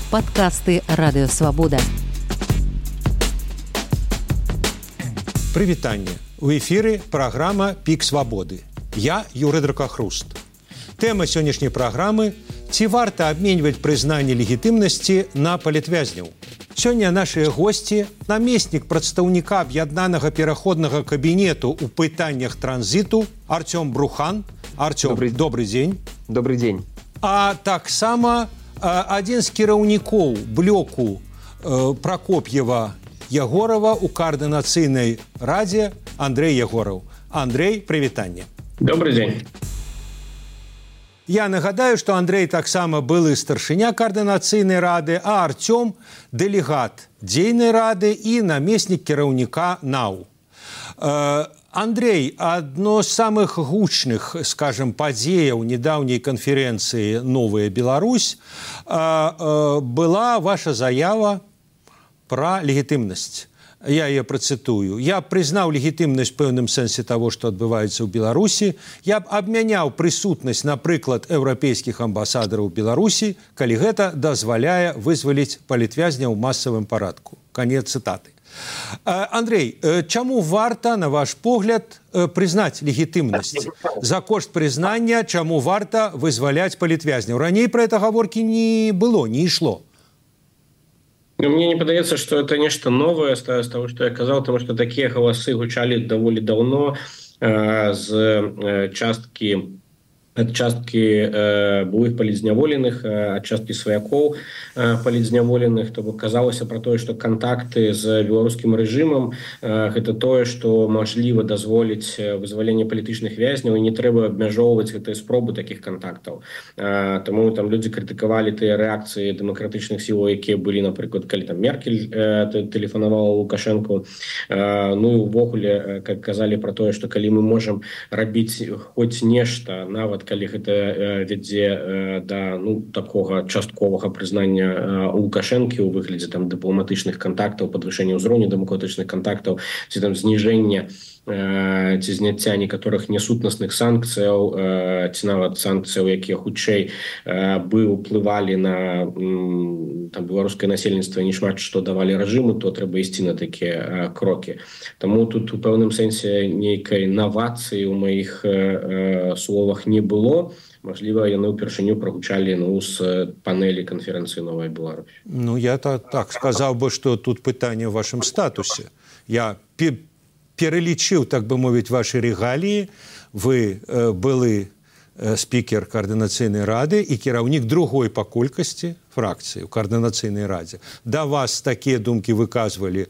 Падкасты Радыёвабода. Прывітанне. У эфіры праграма «Пік свабоды». Я Юрый Дракахруст. Тэма сённяшняй праграмы – ці варта абменьваць прызнанне легітымнасці на палітвязняў. Сёння нашыя госці – намеснік прадстаўніка аб'яднанага пераходнага кабінету ў пытаннях транзіту Артём Брухан. Артём, добрый дзень. Добрый дзень. А таксама адзін з кіраўнікоў блоку Пракоп'ева-Ягорова ў каардынацыйнай радзе Андрэй Ягораў. Андрэй, прывітанне. Добрый дзень. Я нагадаю, што Андрэй таксама былы старшыня каардынацыйнай рады, а Артём – дэлегат дзейнай рады і намеснік кіраўніка НАУ. Андрэй, адно з самых гучных, скажем, падзеяў недаўняй канферэнцыі «Новая Беларусь» была ваша заява пра легітымнасць. Я ее працытую. Я прызнаў легітымнасць в пэўным сэнсе того, што адбываецца ў Беларусі. Я б абмяняў прысутнасць, напрыклад, еўрапейскіх амбасадараў Беларусі, калі гэта дазваляе вызваліць палітвязняў у масавым парадку. Канец цытаты. Андрэй, чаму варта, на ваш погляд, прызнаць легітымнасць? За кошт прызнання, чаму варта вызваляць палітвязняў? Раней про это гаворкі не было, не ішло. Мне не падаецца, што это нешта новае з таго, што я казаў, таму што такія галасы гучалі даволі даўно з часткі былых палітзняволеных, ад часткі сваякоў палітзняволеных. То бок казалася пра тое, што кантакты з беларускім рэжымам гэта тое, што мажліва дазволіць вызваленне палітычных вязняў, і не трэба абмяжоўваць гэтыя спробы такіх кантактаў. Таму там людзі крытыкавалі тыя рэакцыі дэмакратычных сілаў, якія былі, напрыклад, калі там Меркель тэлефанавала Лукашэнку. Ну і ўвогуле казалі пра тое, што калі мы можам рабіць хоць нешта, нават калі гэта вядзе да такога частковага прызнання Лукашэнкі ў выглядзе там дыпламатычных кантактаў, падвышэння ўзроўню дэмакратычных кантактаў, ці там зніжэння ці зняцця некаторых нясутнасных санкцыяў, ці нават санкцыяў, якія хутчэй бы ўплывалі на беларускае насельніцтва, не шмат што давалі рэжыму, то трэба ісці на такія крокі. Таму тут у пэўным сэнсе нейкай навацыі ў маіх словах не было. Мажліва, яны ўпершыню прагучалі з панелі канферэнцыі «Новая Беларусь». Я так сказаў бы, што тут пытанне ў вашым статусе. Я пералічыў, так бы мовіць, вашы рэгаліі. Вы былы спікер каардынацыйнай рады і кіраўнік другой па колькасці фракцыі ў каардынацыйнай радзе. Да вас такія думкі выказвалі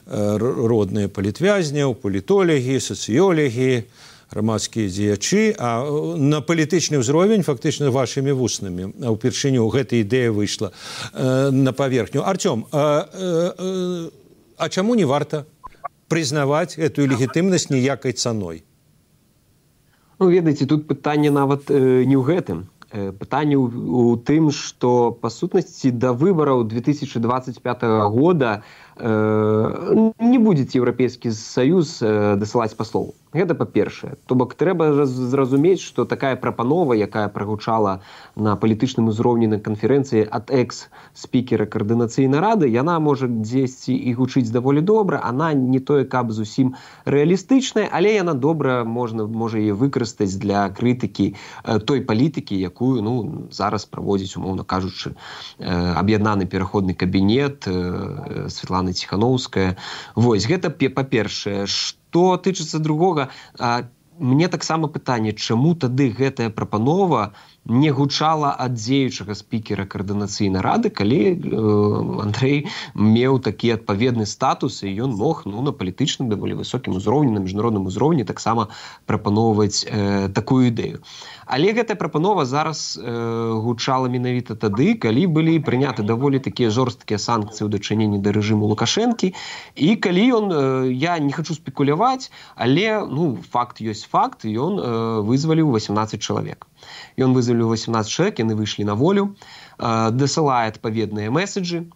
родныя палітвязняў, палітолагі, сацыёлагі, грамадскія дзеячы, а на палітычны ўзровень фактычна вашымі вуснамі ўпершыню гэта ідэя выйшла на паверхню. Артём, а чаму не варта прызнаваць гэтую легітымнасць ніякай цаной? Ведаеце, тут пытанне нават не ў гэтым. Пытанне ў тым, што па сутнасці да выбараў 2025 года не будзе Еўрапейскі Саюз дасылаць паслоў. Гэта па-першае. То бок трэба зразумець, што такая прапанова, якая прагучала на палітычным узроўні на канферэнцыі ад экс-спікера каардынацыйнай рады, яна можа дзесьці і гучыць даволі добра, она не тое каб зусім рэалістычная, але яна добра можа яе выкарыстаць для крытыкі той палітыкі, якую зараз праводзіць, умоўна кажучы, аб'яднаны пераходны кабінет Светлана Ціхановская. Вось, гэта па-першае. Што тычыцца другога, мне таксама пытанне, чаму тады гэтая прапанова не гучала ад дзеючага спікера каардынацыйнай рады, калі Андрэй меў такі адпаведны статус, і ён мог на палітычным даволі высокім узроўні, на міжнародным узроўні таксама прапаноўваць такую ідэю. Але гэтая прапанова зараз гучала менавіта тады, калі былі прыняты даволі такія жорсткія санкцыі ў дачыненні да рэжыму Лукашэнкі, і калі ён, я не хачу спекуляваць, але факт ёсць факт, ён вызваліў 18 чалавек. Ён вызваліў 18 чалавек, яны выйшлі на волю, дасылае адпаведныя меседжы.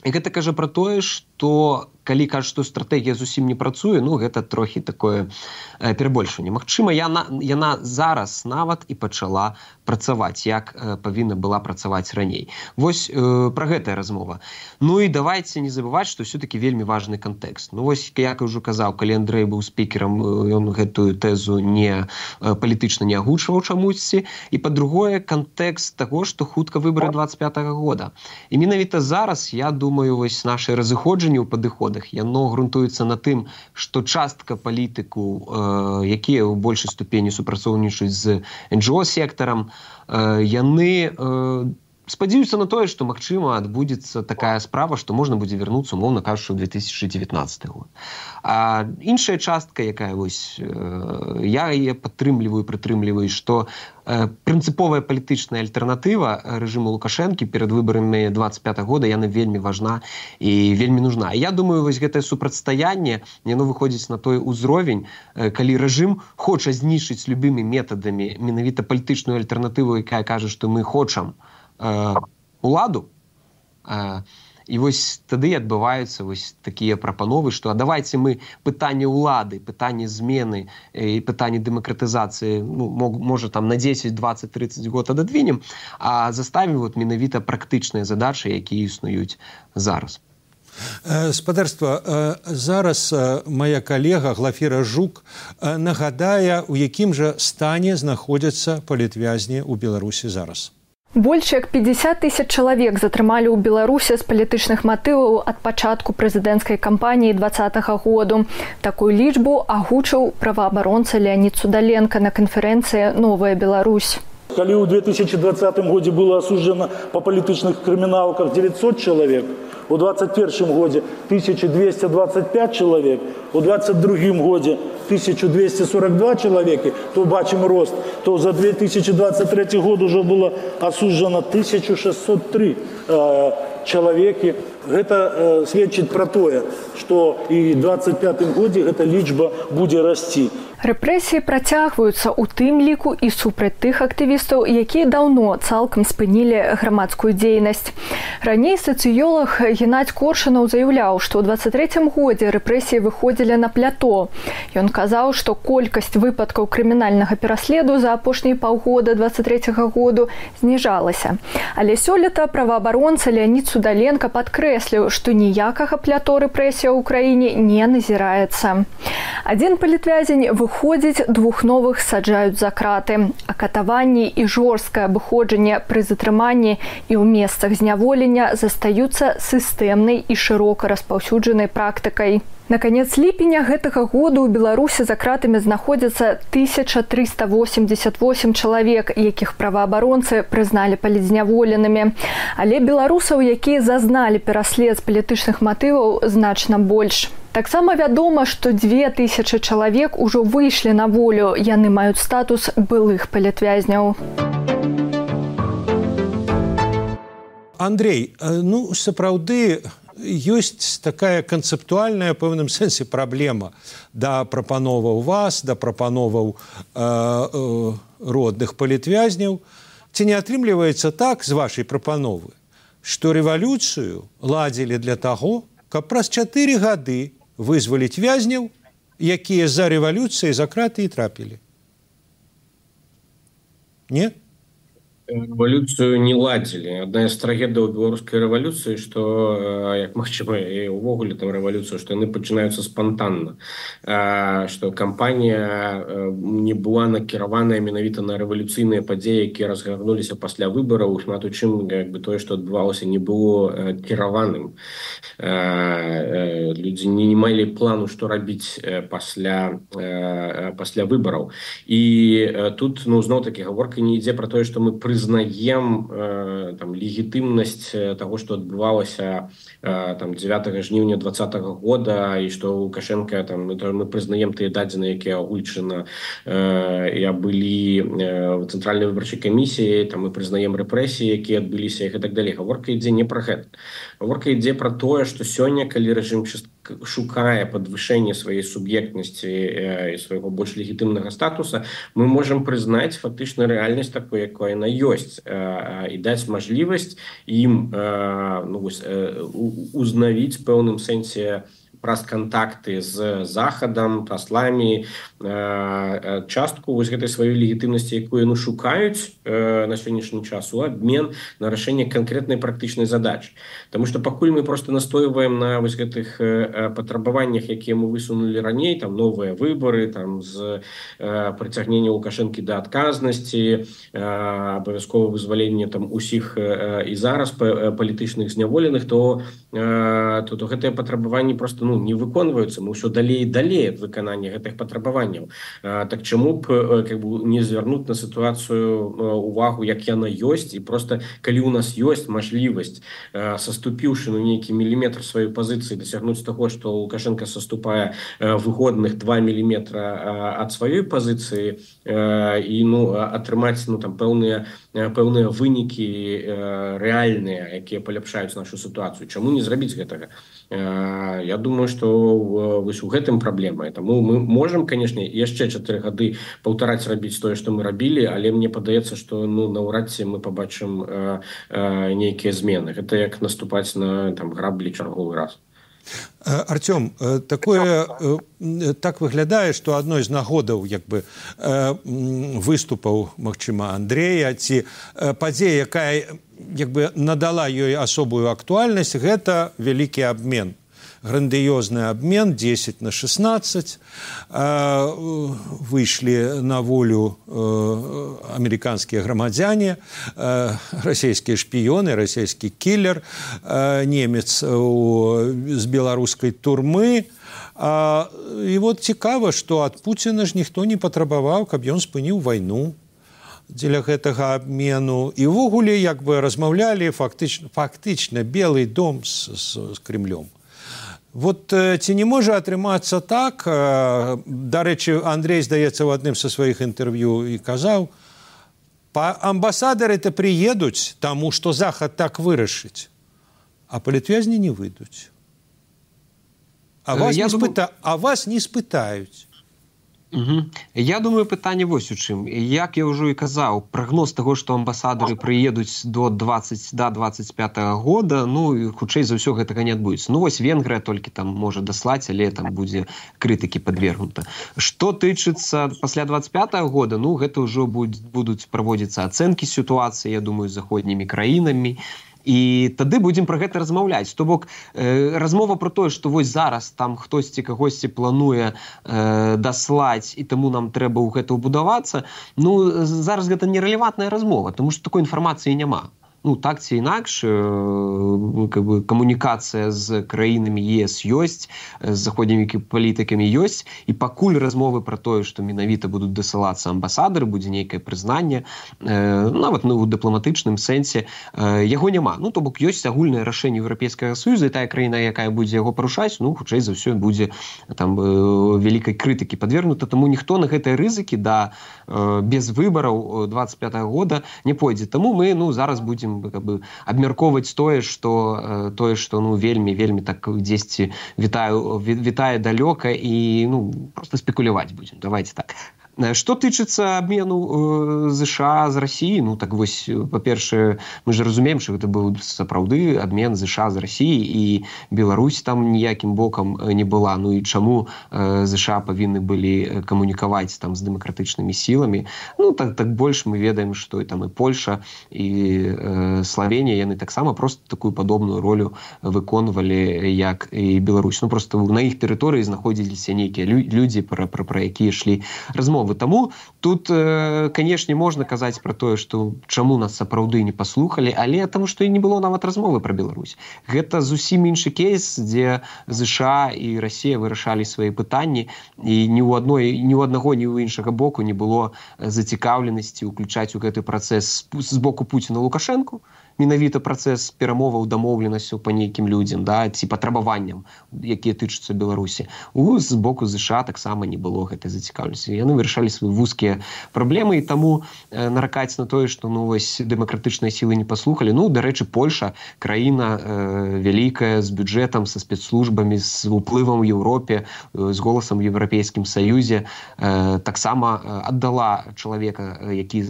І гэта кажа пра тое, што што калі кажуць, што стратэгія зусім не працуе, ну гэта трохі такое перабольшанне. Магчыма, яна зараз нават і пачала працаваць, як павінна была працаваць раней. Вось пра гэтая размова. Ну і давайце не забываць, што ўсё-такі вельмі важны кантэкст. Ну вось, як я ўжо казаў, калі Андрэй быў спікерам, ён гэтую тэзу не палітычна не агучваў чамусьці. І па-другое, кантэкст таго, што хутка выбары 25-го года. І менавіта зараз, я думаю, вось нашы разыходжанні ў падыходах, яно грунтуецца на тым, што частка палітыкаў, якія ў большай ступені супрацоўнічаюць з НГО-сектарам, яны спадзяюцца на тое, што, магчыма, адбудзецца такая справа, што можна будзе вярнуцца, умоўна кажучы, ў 2019 год. А іншая частка, якая вось, я яе прытрымліваю, што прынцыповая палітычная альтэрнатыва рэжыму Лукашэнкі перад выбарамі 25 года, яна вельмі важна і вельмі нужна. Я думаю, вось гэтае супрацьстаянне, яно выходзіць на той узровень, калі рэжым хоча знішчыць любымі метадамі менавіта палітычную альтэрнатыву, якая кажа, што мы хочам уладу, і вось тады адбываюцца вось такія прапановы, што давайце мы пытанне ўлады, пытанне змены і пытанне дэмакратызацыі, ну, можа там на 10, 20, 30 год ададвінем, а заставім вот менавіта практычныя задачы, якія існуюць зараз. Спадарства, зараз моя калега Глафіра Жук нагадае, у якім жа стане знаходзяцца палітвязні ў Беларусі зараз. Больш як 50 000 чалавек затрымалі ў Беларусі з палітычных матываў ад пачатку прэзідэнцкай кампаніі 2020 году. Такую лічбу агучыў праваабаронца Леонід Судаленко на канферэнцыі «Новая Беларусь». Калі ў 2020 годзе было асуджана па палітычных крыміналках 900 чалавек, у 2021 годзе 1225 чалавек, у 2022 годзе 1242 чалавекі, то бачым рост, то за 2023 год уже было асуджана 1603 чалавекі. Гэта сведчыць пра тое, што і ў 2025 годзе гэта лічба будзе расці. Рэпрэсіі працягваюцца ў тым ліку і супраць тых актывістаў, якія даўно цалкам спынілі грамадскую дзейнасць. Раней сацыёлаг Геннадзь Коршунаў заяўляў, што ў 2023 годзе рэпрэсіі выходзілі на плято. Ён казаў, што колькасць выпадкаў крымінальнага пераследу за апошнія паўгода 2023 году зніжалася. Але сёлета праваабаронца Леонід Судаленко падкрэсліў, што ніякага плято рэпрэсія ў краіне не назіраецца. Адзін палітвязень выходзіць, двух новых саджаюць за краты. А катаванні і жорсткае абыходжанне пры затрыманні і ў месцах зняволення застаюцца сістэмнай і шырока распаўсюджанай практыкай. На канец ліпеня гэтага года ў Беларусі за кратамі знаходзяцца 1388 чалавек, якіх праваабаронцы прызналі палітзняволенымі. Але беларусаў, якія зазналі пераслед з палітычных матываў, значна больш. Таксама вядома, што 2000 чалавек ужо выйшлі на волю. Яны маюць статус былых палітвязняў. Андрей, ну, сапраўды, ёсць такая канцэптуальная, ў пэўным сэнсе, праблема да прапановаў вас, да прапановаў родных палітвязняў. Ці не атрымліваецца так з вашай прапановы, што рэвалюцыю ладзілі для таго, каб праз 4 гады вызваліць вязняў, якія за рэвалюцыяй за краты і трапілі? Не? Рэвалюцыю не ладзілі. Адна з трагедыяў беларускай рэвалюцыі, што, як магчыма, і ўвогуле там рэвалюцыю, што яны пачынаюцца спантанна. Што кампанія не была накіраваная менавіта на рэвалюцыйныя падзеі, якія разгарнуліся пасля выбараў. Шмат у чым тое, што адбывалася, не было кіраваным. Людзі не мелі плану, што рабіць пасля выбараў. І тут, ну, зноў-такі, гаворка не ідзе пра тое, што мы прызнаем легітымнасць таго, што адбывалася 9 жніўня 2020 года, і што Лукашенко, мы прызнаем тыя дадзеныя, якія агульчана і былі в Цэнтральнай выбарчай камісіі, мы прызнаем рэпрэсіі, якія адбыліся, і так далей. Гаворка ідзе не пра гэта. Гаворка ідзе пра тое, што сёння, калі рэжым шукае падвышэнне сваёй суб'ектнасці і свайго больш легітымнага статуса, мы можам прызнаць фактычна рэальнасць такой, якой яна ёсць. ёсць і даць мажлівасць ім узнавіць пэўным сэнсе праз кантакты з захадам, прасламі частку вось гэтай сваёй легітымнасці, якую яны шукаюць на сённяшні час у абмен на рашэнне канкрэтнай практычнай задачы. Таму што пакуль мы просто настойваем на вось гэтых патрабаваннях, якія мы высунулі раней, там новыя выбары, там з прыцягнення Лукашэнкі да адказнасці, абавязкова вызваленне там усіх і зараз палітычных зняволеных, то гэтыя патрабаванні просто не выконваюцца, мы ўсё далей і далей ад выканання гэтых патрабаванняў. Так чаму б не звярнуць на сітуацыю увагу, як яна ёсць, і просто калі ў нас ёсць мажлівасць, саступіўшы нейкі міліметр сваёй пазіцыі, дасягнуць таго, што Лукашенко саступае выгодных 2 міліметра ад сваёй пазіцыі і атрымаць там пэўныя вынікі рэальныя, якія паляпшаюць нашу сітуацыю. Чаму не зрабіць гэтага? Я думаю, што вось у гэтым праблема. Таму мы можам, канешне, яшчэ 4 гады паўтараць рабіць тое, што мы рабілі, але мне падаецца, што наўрад ці мы пабачым нейкія змены. Гэта як наступаць на граблі чарговы раз. Артём, так выглядае, што адной з нагодаў выступаў, магчыма, Андрэя, ці падзея, якая надала ёй асобую актуальнасць, гэта вялікі абмен. Грандыёзны абмен 10 на 16. Выйшлі на волю амерыканскія грамадзяне, расійскія шпіёны, расійскі кілер, немец з беларускай турмы. І вот цікава, што ад Пуціна ж ніхто не патрабаваў, каб ён спыніў вайну дзеля гэтага абмену. І ўвогуле размаўлялі фактычна Белы дом з Кремлем. Вот ці не можа атрымацца так, дарэчы, Андрей, здаецца, у адным са сваіх інтэрв'ю і казаў, амбасадары-то прыедуць, таму што Захад так вырашыць, а палітвязні не выйдуць. А вас не спытаюць. Я думаю, пытанне вось у чым. Як я ўжо і казаў, прагноз таго, што амбасадары прыедуць до 25 года, хутчэй за ўсё гэтага не адбудзецца. Вось Венгрыя толькі там можа даслаць, але там будзе крытыкі падвергнута. Што тычыцца пасля 25 года, гэта ўжо будуць праводзіцца ацэнкі сітуацыі, я думаю, з заходнімі краінамі. І тады будзем пра гэта размаўляць. То бок, размова пра тое, што вось зараз там хтосьці кагосьці плануе даслаць, і таму нам трэба ў гэта ўбудавацца, зараз гэта нерэлевантная размова, таму што такой інфармацыі няма. Так ці інакш, камунікацыя з краінамі ЕС ёсць, з заходнімі палітыкамі ёсць, і пакуль размовы пра тое, што менавіта будуць дасылацца амбасадары, будзе нейкае прызнанне, нават у дыпламатычным сэнсе, яго няма. То бок, ёсць агульнае рашэнне Еўрапейскага Саюза, і тая краіна, якая будзе яго парушаць, хутчэй за ўсё будзе вялікай крытыкі падвергнута, таму ніхто на гэтыя рызыкі без выбараў 25 года не пойдзе. Таму мы зараз будзем абмяркоўваць тое, што вельмі так дзесьці вітае далёка, і проста спекуляваць будзем. Давайте так. Што тычыцца абмену ЗША з Расіі, так вось, па-першае, мы ж разумеем, што гэта быў сапраўды абмен ЗША з Расіі, і Беларусь там ніякім бокам не была. І чаму ЗША павінны былі камунікаваць там з дэмакратычнымі сіламі? Так больш мы ведаем, што і Польша, і Славенія, яны таксама проста такую падобную ролю выконвалі, як і Беларусь. Проста на іх тэрыторыі знаходзіліся нейкія людзі, пра якія ішлі размовы. Таму тут, канешне, можна казаць пра тое, што чаму нас сапраўды не паслухалі, але таму што і не было нават размовы пра Беларусь. Гэта зусім іншы кейс, дзе ЗША і Расія вырашалі свае пытанні, і ні ў аднаго, ні ў іншага боку не было зацікаўленасці ўключаць у гэты працэс з боку Пуціна Лукашэнку, менавіта працэс перамоваў, дамоўленасцяў па нейкім людзям, да, ці патрабаванням, якія тычацца Беларусі. З боку ЗША таксама не было гэтай зацікаўленасці. Яны вырашалі свае вузкія праблемы, і таму наракаць на тое, што дэмакратычныя сілы не паслухалі. Дарэчы, Польша, краіна вялікая, з бюджэтам, са спецслужбамі, з уплывам у Еўропе, з голасам у Еўрапейскім Саюзе, таксама аддала чалавека, які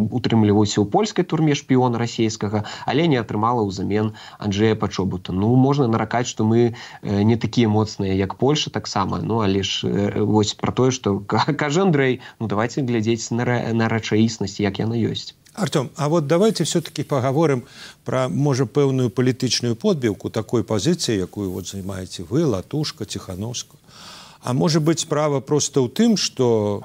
утрымліваўся ў польскай турме, шпіёна расійскага, але не атрымала ўзамен Анджэя Пачобута. Можна наракаць, што мы не такія моцныя, як Польша таксама, але ж вось пра тое, што кажа Андрэй, давайте глядзець на рэчаіснасць, як яна ёсць. Артём, а вот давайте все-таки поговорим про, может, пэўную палітычную подбіўку такой пазіцыі, якую вот займаеце вы, Латушка, Тихановскую. А может быть, справа просто ў тым, што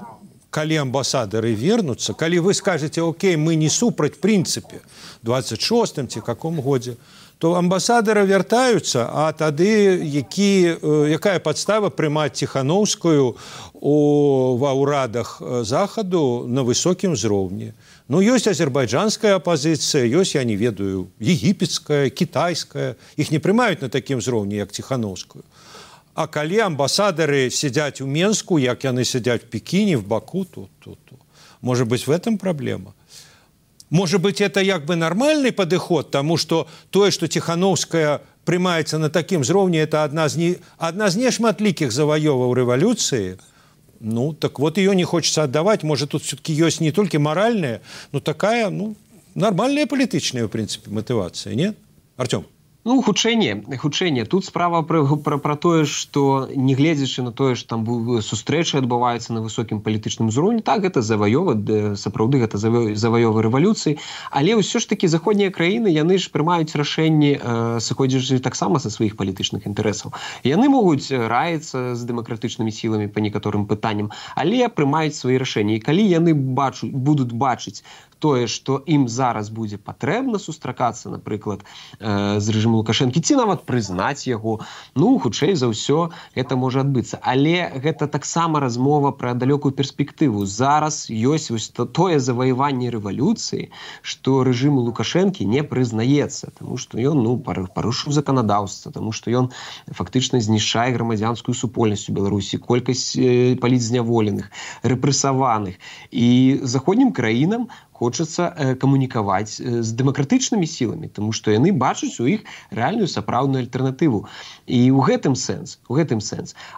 калі амбасадары вернуцца, калі вы скажете, окей, мы не супраць прынцыпе 26-м ці каком годзе, то амбасадары вяртаюцца, а тады якая падстава прымаць Тихановскую ва ўрадах Захаду на высокім узроўні? Ёсць азербайджанская апозіцыя, ёсць, я не ведаю, егіпецкая, кітайская. Іх не прымаюць на такім узроўні, як Тихановскую. А калі амбасадары сядзяць у Менску, як яны сядзяць в Пекине, в Баку, то может быть, в этом проблема? Может быть, это як бы нормальный подыход, тому что тое, что Тихановская прымаецца на такім узроўні, это одна з нешматлікіх заваёваў рэвалюцыі. Так вот ее не хочется отдавать. Может, тут все-таки есть не только моральная, но такая, нормальная палітычная, в принципе, мотивация, нет? Артём? Хутчэнне. Тут справа пра тое, што не гледзячы на тое, што там сустрэчы адбываюцца на высокім палітычным узроўні, так, гэта заваёва, сапраўды гэта заваёвы рэвалюцыі, але ўсё ж такі заходнія краіны, яны ж прымаюць рашэнні, сыходзячы таксама са сваіх палітычных інтарэсаў. Яны могуць раіцца з дэмакратычнымі сіламі па некаторым пытанням, але прымаюць свае рашэнні. І калі яны будуць бачыць тое, што ім зараз будзе патрэбна сустракацца, напрыклад, з рэжымом Лукашэнкі, ці нават прызнаць яго, хутчэй за ўсё гэта можа адбыцца. Але гэта таксама размова пра далёкую перспектыву. Зараз ёсць вось тое заваяванне рэвалюцыі, што рэжыму Лукашэнкі не прызнаецца, таму што ён парушыў заканадаўства, таму што ён фактычна знішчае грамадзянскую супольнасць у Беларусі, колькасць палітзняволеных, рэпрэсаваных. І заходнім краінам хочацца камунікаваць з дэмакратычнымі сіламі, тому што яны бачаць у іх рэальную сапраўдную альтэрнатыву. І ў гэтым сэнс.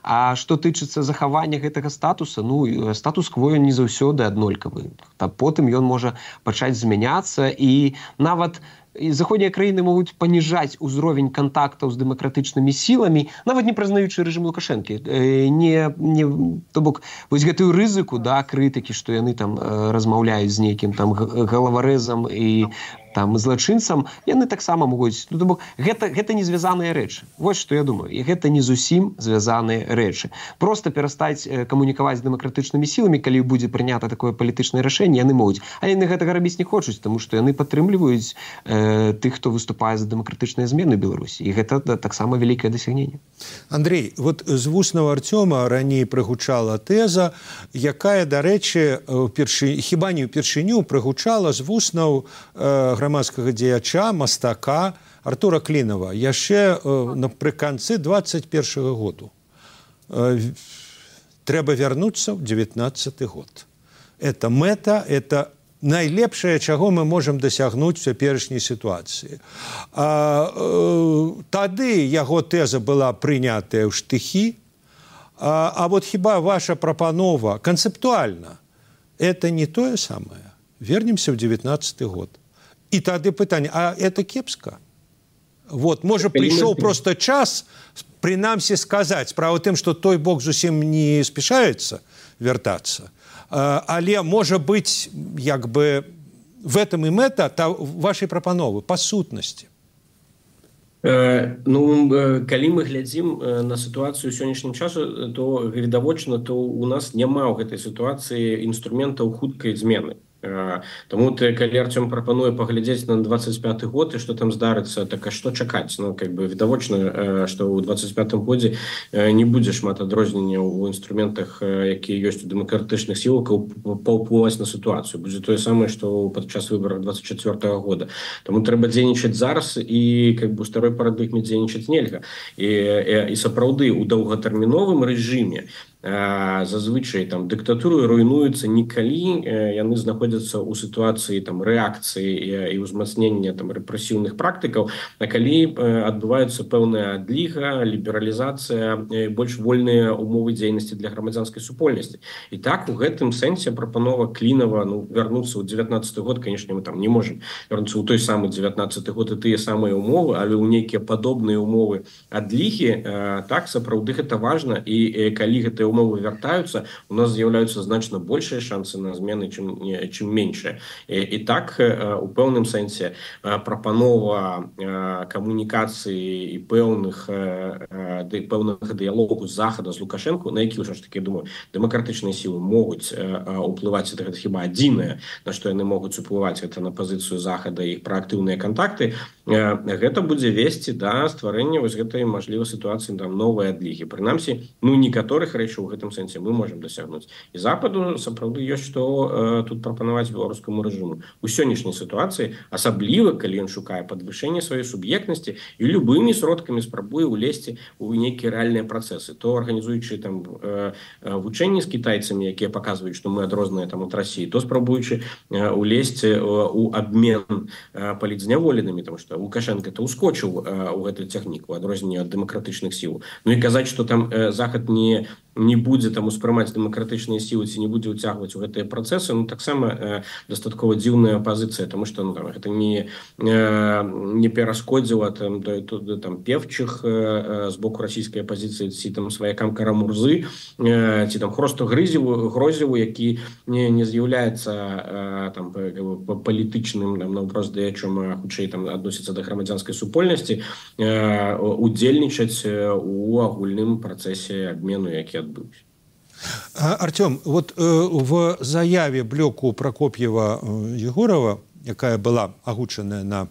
А што тычыцца захавання гэтага статуса, статус-кво не заўсёды аднолькавы. Потым ён можа пачаць змяняцца, і нават заходнія краіны могуць паніжаць узровень кантактаў з дэмакратычнымі сіламі, нават не прызнаючы рэжым Лукашэнкі. То бок, вось гэтую рызыку, крытыкі, што яны там размаўляюць з нейкім там галаварэзам і злачынцам, яны таксама могуць. Гэта не звязаныя рэчы. Вось што я думаю. І гэта не зусім звязаныя рэчы. Проста перастаць камунікаваць з дэмакратычнымі сіламі, калі будзе прынята такое палітычнае рашэнне, яны могуць. Але яны гэтага рабіць не хочуць, таму што яны падтрымліваюць тых, хто выступае за дэмакратычныя змены ў Беларусі. І гэта таксама вялікае дасягненне. Андрей, вот з вуснаў Артёма раней прагучала тэза, якая, дарэчы, хіба не ўпершыню прагучала з вуснаў грамадскага дзеяча, мастака Артура Клінава яшчэ напрыканцы 21-го году. Трэба вярнуцца ў 19-й год. Это мэта, это найлепшае, чаго мы можам дасягнуць у цяперашняй сітуацыі. Тады яго тэза была прынятая ў штыхі, а вот хіба ваша прапанова канцэптуальна это не тое самае? Вернемся ў 19-й год. І тады пытанне, а это кепска? Вот, можа, прыйшоў просто час, прынамсі сказаць. Справа ў тым, што той бок зусім не спешаецца вяртацца. Але, можа быць, як бы, в этом і мэта вашай прапановы, па сутнасці. Калі мы глядзім на сітуацыю сённяшнім часу, то відавочна, то у нас няма ў гэтай сітуацыі інструментаў хуткай змены. Таму калі Артём прапануе паглядзець на 25 год і што там здарыцца, так а што чакаць? Відавочна, што ў 25 годзе не будзе шмат адрозненняў у інструментах, якія ёсць у дэмакратычных сілах, паўплываць на сітуацыю. Будзе тое самае, што падчас выбараў 24 года. Таму трэба дзейнічаць зараз і у старой парадыгме дзейнічаць нельга. І сапраўды ў даўгатэрміновым рэжыме зазвычай дыктатуры руйнуюцца не калі яны знаходзяцца ў сітуацыі рэакцыі і ўзмацнення рэпрэсіўных практыкаў, а калі адбываюцца пэўная адліга, лібералізацыя, больш вольныя умовы дзейнасці для грамадзянскай супольнасці. І так у гэтым сэнсе прапанова Клінава вярнуцца ў 19 год, канешне, мы не можам вярнуцца ў той самы 19 год і тыя самыя умовы, але ў нейкія падобныя умовы адлігі, так, сапраўды гэта важна, і калі гэтыя умовы вяртаюцца, у нас з'яўляюцца значна большыя шансы на змены, чым меншыя. І так, у пэўным сэнсе, прапанова камунікацыі і пэўных дыялогу з Захада, з Лукашэнку, на які, ўжо ж таки, думаю, дэмакратычныя сілы могуць уплываць, гэта хіба адзінае, на што яны могуць уплываць, гэта на пазіцыю Захада і іх праактыўныя кантакты, гэта будзе весці да стварэння вось гэтай, мажліва, сітуацыі новай адлігі. Прынамсі, некаторых рэчаў у гэтым сэнсе мы можам дасягнуць. І Западу сапраўды ёсць што тут прапанаваць беларускаму рэжыму. У сённяшняй сітуацыі, асабліва, калі ён шукае падвышэнне сваёй суб'ектнасці і любымі сродкамі спрабуе ўлезці ў нейкія рэальныя працэсы, то арганізуючы вучэнні з кітайцамі, якія паказваюць, што мы адрозныя ад Расіі, то спрабуючы ўлезці ў абмен палітзняволенымі, таму што Лукашенко ускочыў у гэты цягнік, у адрозненне ад дэмакратычных сіл. І казаць, што Захад не будзе успрымаць дэмакратычныя сілы ці не будзе ўцягваць у гэтыя працэсы, таксама дастаткова дзіўная пазіцыя, таму што гэта не перашкодзіла певчых з боку расійскай апазіцыі ці сваякам Карамурзы ці Хросту Грозеву, які не з'яўляецца палітычным наўпрост дзеячом, хутчэй адносіцца да грамадзянскай супольнасці, удзельнічаць у агульным працэсе абмену, які адбыўся. Артём, вот в заяве блоку Прокопьева-Егорова, якая была агучаная на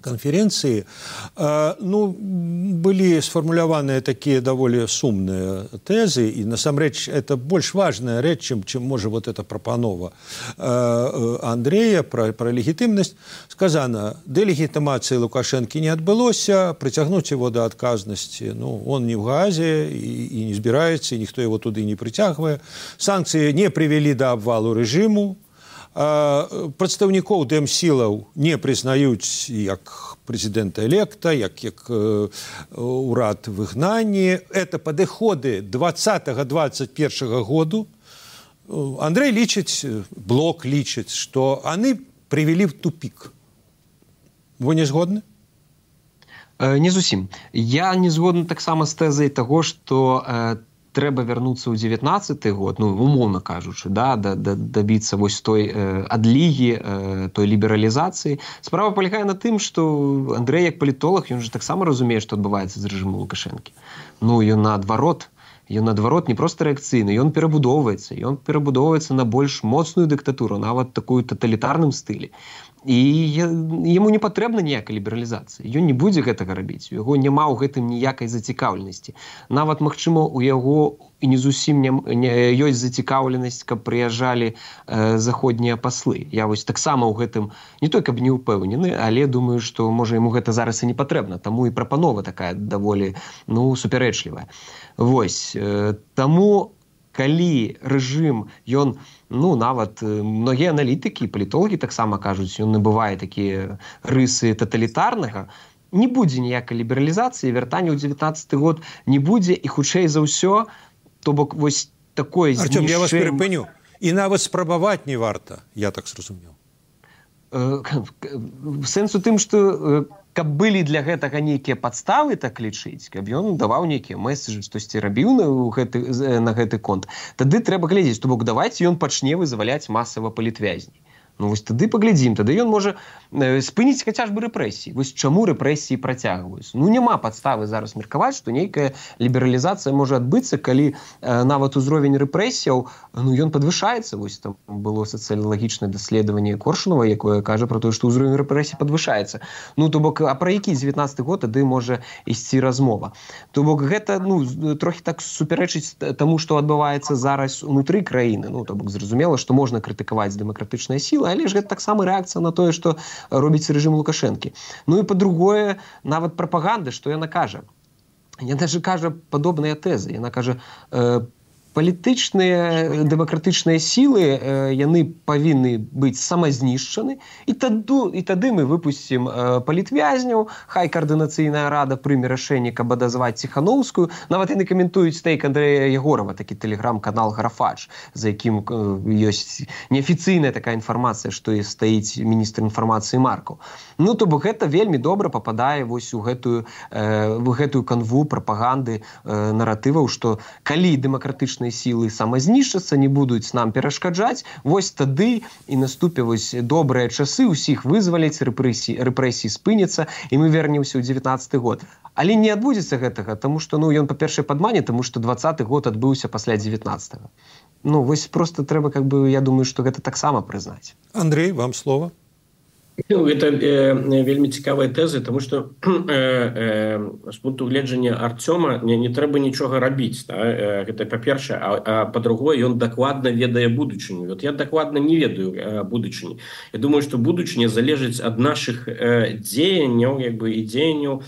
конференции, были сформуляваны такие довольно сумные тези, и насамрэч это больш важная рэч, чем может вот эта пропанова Андрея про легитимность. Сказано, делегитимации Лукашенко не отбылося, притягнуть его до отказности. Он не в Газе и не избирается, и никто его туда не притягивает. Санкции не привели до обвалу режиму. Прадстаўнікоў дэмсілаў не прызнаюць як прэзідэнта-электа, як урад выгнанні. Это падыходы 20-21 году. Андрей лічыць, блок лічыць, што они привели в тупик. Вы не згодны? Не зусім. Я не згодны таксама з тэзай таго, што трэба вярнуцца ў 19 год, умоўна кажучы, дабіцца вось той адлігі, той лібералізацыі. Справа палягае на тым, што Андрэй як палітолог, ён же таксама разумее, што адбываецца з рэжымом Лукашэнкі. Ён наадварот не проста рэакцыйны, ён перабудоўваецца на больш моцную дыктатуру, нават такую таталітарным стылі. І яму не патрэбна ніякай лібералізацыі. Ён не будзе гэтага рабіць. У яго няма ў гэтым ніякай зацікаўленасці. Нават, магчыма, у яго і не зусім ёсць зацікаўленасць, каб прыязджалі заходнія паслы. Я вось таксама ў гэтым не той, каб не ўпэўнены, але думаю, што, можа, яму гэта зараз і не патрэбна. Таму і прапанова такая даволі, супярэчлівая. Вось. Таму, калі рэжым, ён, нават многія аналітыкі, палітолагі таксама кажуць, ён набывае такія рысы таталітарнага, не будзе ніякай лібералізацыі, вяртання ў 19 год не будзе, і хутчэй за ўсё, то бок вось такое знішчэнне... Артём, я вас перапыню. І нават спрабаваць не варта, я так зразумеў. Сэнс у тым, што каб былі для гэтага нейкія падставы так лічыць, каб ён даваў нейкія месседжы, штосьці рабіў на гэты конт, тады трэба глядзець, то бок давайце ён пачне вызваляць масава палітвязней. Ну вось тады паглядзім, тады ён можа спыніць хаця ж бы рэпрэсіі. Вось чаму рэпрэсіі працягваюцца? Ну няма падставы зараз меркаваць, што нейкая лібералізацыя можа адбыцца, калі нават узровень рэпрэсіяў, ну ён падвышаецца. Вось там было сацыялагічнае даследаванне Коршунова, якое кажа пра тое, што ўзровень рэпрэсій падвышаецца. Ну то бок, а пра які 19 год тады можа ісці размова. То бок гэта, ну, трохі так супярэчыць таму, што адбываецца зараз унутры краіны. Ну то бок зразумела, што можна крытыкаваць дэмакратычныя сілы, але ж гэта таксама рэакцыя на тое, што робіць рэжым Лукашэнкі. Ну і па-другое, нават прапаганда, што яна кажа. Яна же кажа падобныя тэзы. Яна кажа, палітычныя дэмакратычныя сілы, яны павінны быць самазнішчаны, і тады мы выпусцім палітвязняў, хай каардынацыйная рада прыме рашэнне, каб адазваць Ціханаўскую. Нават яны каментуюць тэйк Андрэя Ягорова, такі тэлеграм-канал «Графач», за якім ёсць неафіцыйная такая інфармацыя, што і стаіць міністр інфармацыі Маркаў. Ну, то бок гэта вельмі добра пападае вось у гэтую канву прапаганды, наратываў, што калі дэмакратычныя сілы самазнішчацца, не будуць нам перашкаджаць, вось тады і наступе вось добрыя часы, усіх вызваляць, рэпрэсіі спыняцца, і мы вернемся ў 19 год. Але не адбудзецца гэтага, таму што, ну, ён, па-першае, падмане, таму што 20 год адбыўся пасля 19-го. Ну, вось просто трэба, как бы, я думаю, што гэта таксама прызнаць. Андрей, вам слово. Ну, это вельмі цікавыя тэзы, тому што з пункту гледжання Артёма не трэба нічога рабіць. Гэта па-першае, а па-другое, ён дакладна ведае будучыню. Вот я дакладна не ведаю будучыні. Я думаю, што будучыня залежыць ад нашых дзеянняў, як бы, і дзеянняў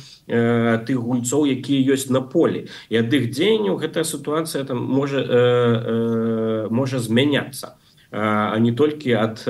тых гульцоў, якія ёсць на полі. І ад іх дзеянняў гэтая сітуацыя там можа змяняцца. А не толькі ад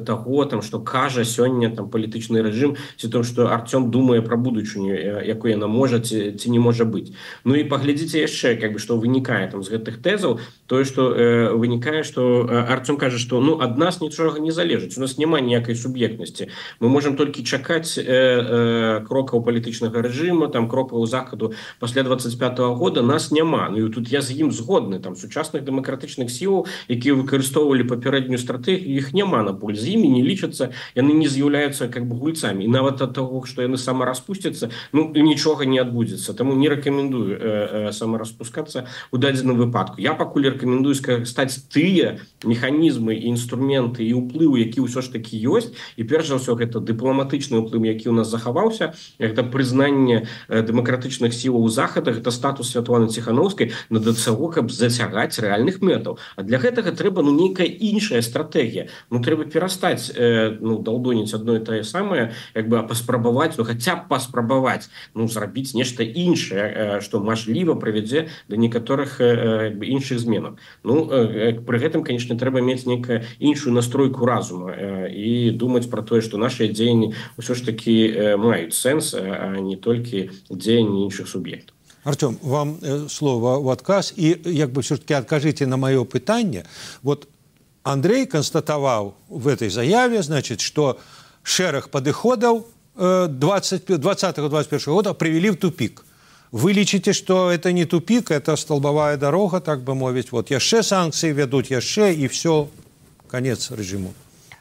таго, што кажа сёння палітычны рэжым, ці то, што Артём думае пра будучыню, якой яна можа ці не можа быць. Ну і паглядзіце яшчэ, што вынікае з гэтых тэзаў, тое, што вынікае, што Артём кажа, што ад нас нічога не залежыць, у нас няма ніякай суб'ектнасці. Мы можам толькі чакаць крокаў палітычнага рэжыма, крокаў захаду пасля 25-го года, нас няма. Ну і тут я з ім згодны, сучасных дэмакратычных сілаў, якія выкарыстоўвалі папярэднюю стратэгію, іх няма на поле, з імі не лічацца, яны не з'яўляюцца гульцамі. І нават ад таго, што яны самараспусцяцца, нічога не адбудзецца. Таму не рэкамендую самараспускацца ў дадзеным выпадку. Я пакуль рэкамендую скарыстаць тыя механізмы і інструменты і ўплывы, які ўсё ж такі ёсць. І перш за ўсё гэта дыпламатычны ўплыў, які ў нас захаваўся, гэта прызнанне дэмакратычных сілаў у захадах, гэта статус Святланы Ціханаўскай, да таго, каб зацягаць рэальных мэтаў. А для гэтага трэба нейкая іншая стратэгія. Трэба перастаць далдоніць адно і тое самае, паспрабаваць, хаця б паспрабаваць, зрабіць нешта іншае, што мажліва прывядзе да некаторых іншых зменаў. Пры гэтым, канечне, трэба мець нейкую іншую настройку разума і думаць пра тое, што нашыя дзеянні ўсё ж такі маюць сэнс, а не толькі дзеянні іншых суб'ектаў. Артём, вам слово в адказ, і все-таки адкажыце на маё пытанне. Вот Андрей констатовал в этой заяве, значит, что шерах подыходов 20-21 года привели в тупик. Вы лічыце, что это не тупик, это столбовая дорога, так бы мовить. Вот яшчэ санкции ведут, яшчэ, и все, конец режиму.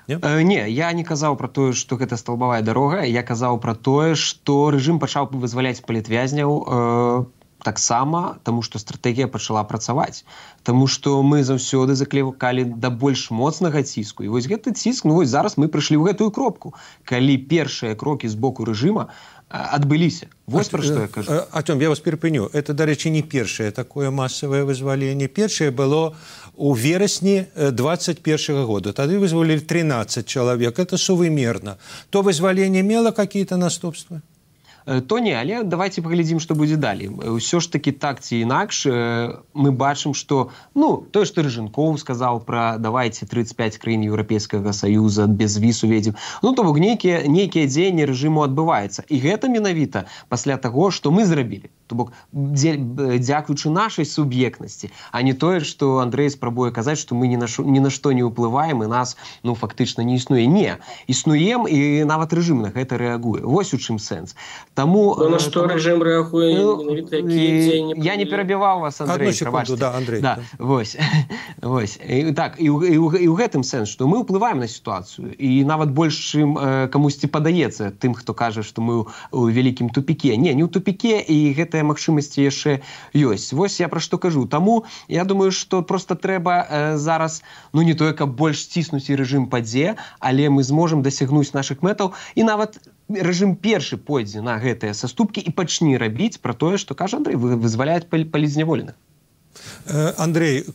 Не, я не казаў пра тое, што гэта столбовая дорога, я казаў пра тое, што рэжым пачаў вызваляць палітвязняў таксама, таму што стратэгія пачала працаваць. Таму што мы заўсёды заклікалі да больш моцнага ціску. І вось гэты ціск, вось зараз мы прыйшлі ў гэтую кропку, калі першыя крокі з боку рэжыма адбыліся. Вось пра што я кажу. Артём, я вас перапыню. Это, дарэчы, не першае такое масавае вызваленне. Першае было у верасні 21 года. Тады вызвалілі 13 чалавек. Это сувымерна. То вызваленне мела какие-то наступствы? То не, але давайте паглядзім, што будзе далей. Усё ж такі так ці інакш мы бачым, што тое, што Рыжынкоў сказаў пра давайте 35 краін Еўрапейскага Саюза без віз уведзім. То бок нейкія дзеянні рэжыму адбываецца. І гэта менавіта пасля таго, што мы зрабілі. То бок дзякуючы нашай суб'ектнасці, а не тое, што Андрэй спрабуе казаць, што мы ні на што не ўплываем і нас фактычна не існуе. Не, існуем і нават рэжым на гэта рэагуе. Вось у чым сэнс. Таму на што рэжым рэагуе? Я не перабіваў вас, Андрэй. Одну секунду, да, Андрэй. Да, вось. Так, і ў гэтым сэнс, што мы ўплываем на сітуацыю і нават больш, чым камусьці падаецца тым, хто кажа, што мы ў вялікім тупіке. Не ў тупіке, і гэтыя магчымасці яшчэ ёсць. Вось я пра што кажу. Таму я думаю, што проста трэба зараз, не тое, каб больш сціснуць і рэжым падзе, але мы зможам дасягнуць нашых мэтаў, і нават рэжым першы пойдзе на гэтыя саступкі і пачне рабіць пра тое, што кажа Андрэй, вызваляць палітзняволеных. Андрей,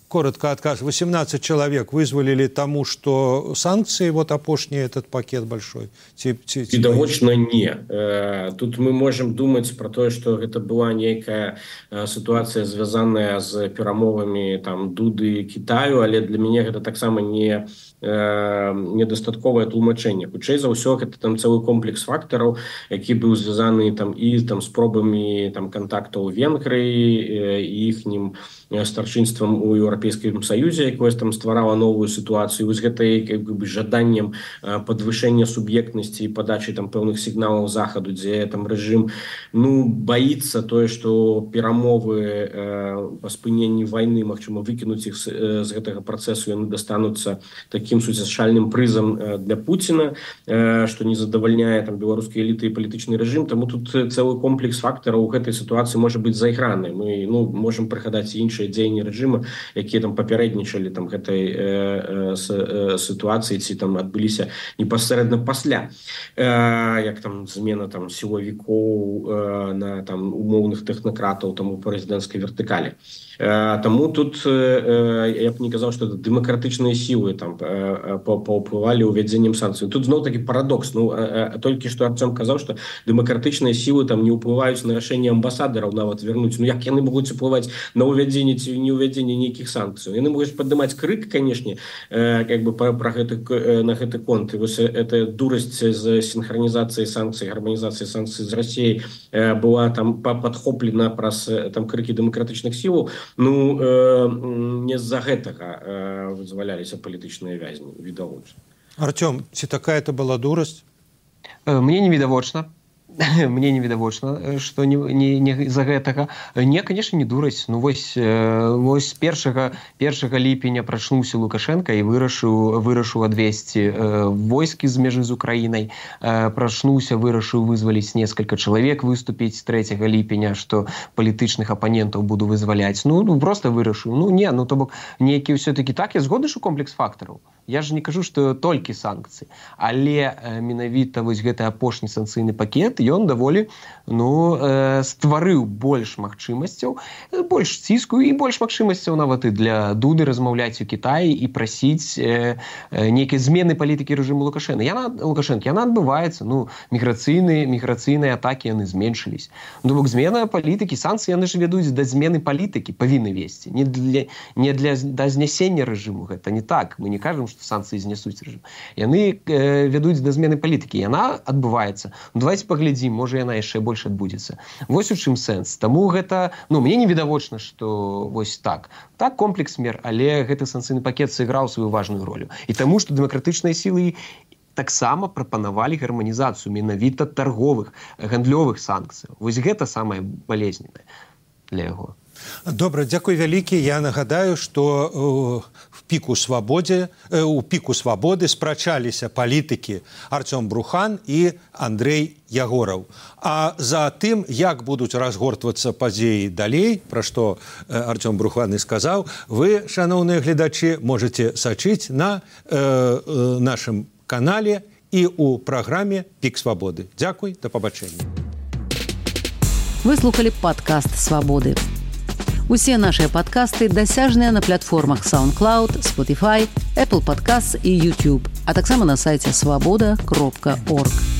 коротко отказ. 18 человек вызволили тому, что санкции, вот опошний этот пакет большой? Відавочна не. Тут мы можем думать про то, что это была некая ситуация, звязаная с перамовами там Дуды Китаю, але для меня это так само не недастатковае тлумачэнне. Хутчэй за ўсё, гэта там цэлы комплекс фактараў, які быў звязаны там і там спробамі там кантактаў Венгрыі і іхнім старшынствам у Еўрапейскім Саюзе, якое там стварала новую сітуацыю, вось гэтай жаданнем падвышэння суб'ектнасці і падачы там пэўных сігналаў захаду, дзе там рэжым баіцца тое, што перамовы па спыненні вайны, магчыма, выкінуць іх з гэтага працэсу, яны дастануцца таким суцяшальным прызам для Пуціна, што не задавальняе там беларускія эліты і палітычны рэжым. Таму тут цэлы комплекс фактараў у гэтай сітуацыі можа быць зайграны. Мы можам прыгадаць і іншыя дзеянні рэжыма, якія там папярэднічалі там гэтай сітуацыі, ці там адбыліся непасрэдна пасля, як там змена там сілавікоў на там умоўных тэхнакратаў там у прэзідэнцкай вертыкалі. Таму тут я б не казаў, што дэмакратычныя сілы там паўплывалі ўвядзеннем санкцый. Тут зноў-такі парадокс. Толькі што Артём казаў, што дэмакратычныя сілы там не ўплываюць на рашэнне амбасадараў нават вярнуць. Як яны могуць уплываць на ўвядзенне ці не ўвядзенне нейкіх санкцый? Яны могуць падымаць крык, канешне, на гэты конт. І вось эта дурасць з сінхранізацыяй санкцый, гарманізацыяй санкцый з Расіяй была там падхоплена праз там крыкі дэмакратычных сілаў. Не з-за гэтага вызваляліся палітычныя вязні, відавочна. Артём, ці такая-то была дурасць? Мне не відавочна. Мне не відавочна, што не з-за гэтага. Не, конечно, не дурасць. Вось 1 ліпеня прачнуўся Лукашенко і вырашыў адвесці войскі з межы з Украінай. Прачнуўся, вырашыў вызваліць некалькі чалавек, выступіць 3 ліпеня, што палітычных апанентаў буду вызваляць. Просто вырашыў. То бок нейкі ўсё-такі так, я згодны, што комплекс фактараў. Я ж не кажу, што толькі санкцыі, але менавіта вось гэты апошні санкцыйны пакет, ён даволі стварыў больш магчымасцяў, больш ціску і больш магчымасцяў нават і для Дуды размаўляць у Кітаі і прасіць нейкай змены палітыкі рэжыму Лукашенка. Яна адбываецца. Міграцыйныя атакі яны зменшылись. Бок змена палітыкі, санкцыі яны ж вядуць да змены палітыкі, павінны весці. Не да знясення рэжыму. Гэта не так. Мы не кажам, што санкцыі знясуць рэжым. Яны вядуць да змены палітыкі. Яна адбываецца. Давайте паглядзім, можа яна яшчэ больш адбудзецца. Вось у чым сэнс. Таму гэта, мне не відавочна, што вось так. Так, комплекс мер, але гэты санкцыйны пакет сыграў сваю важную ролю. І таму, што дэмакратычныя сілы таксама прапанавалі гарманізацыю менавіта торговых, гандлёвых санкцыяў. Вось гэта самае балезненнае для яго. Добра, дзякуй вялікі. Я нагадаю, што у піку свабоды спрачаліся палітыкі Артём Брухан і Андрэй Ягораў. А за тым, як будуць разгортвацца падзеі далей, пра што Артём Брухан і сказаў, вы, шаноўныя гледачы, можаце сачыць на нашым канале і ў праграме «Пік свабоды». Дзякуй, да пабачэння. Вы слухали падкаст «Свабоды». Усе нашыя падкасты дасяжныя на платформах SoundCloud, Spotify, Apple Podcasts і YouTube, а таксама на сайце swaboda.org.